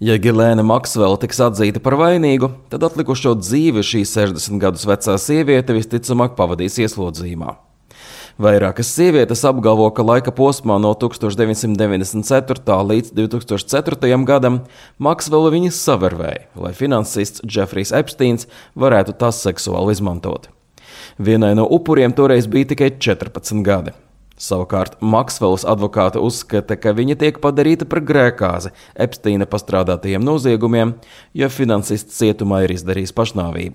Ja Ghislaine Maxwell tiks atzīta par vainīgu, tad atlikušo dzīvi šī 60 gadus vecā sieviete visticamāk pavadīs ieslodzījumā. Vairākas sievietes apgalvo, ka laika posmā no 1994. līdz 2004. gadam Maxwell viņas savervēja, lai finansists Jeffrijs Epsteins varētu tās seksuāli izmantot. Vienai no upuriem toreiz bija tikai 14 gadi. Savukārt Maxwellas advokāte uzskata, ka viņa tiek padarīta par grēkāzi Epsteina pastrādātajiem noziegumiem, jo finansists cietumā ir izdarījis pašnāvību.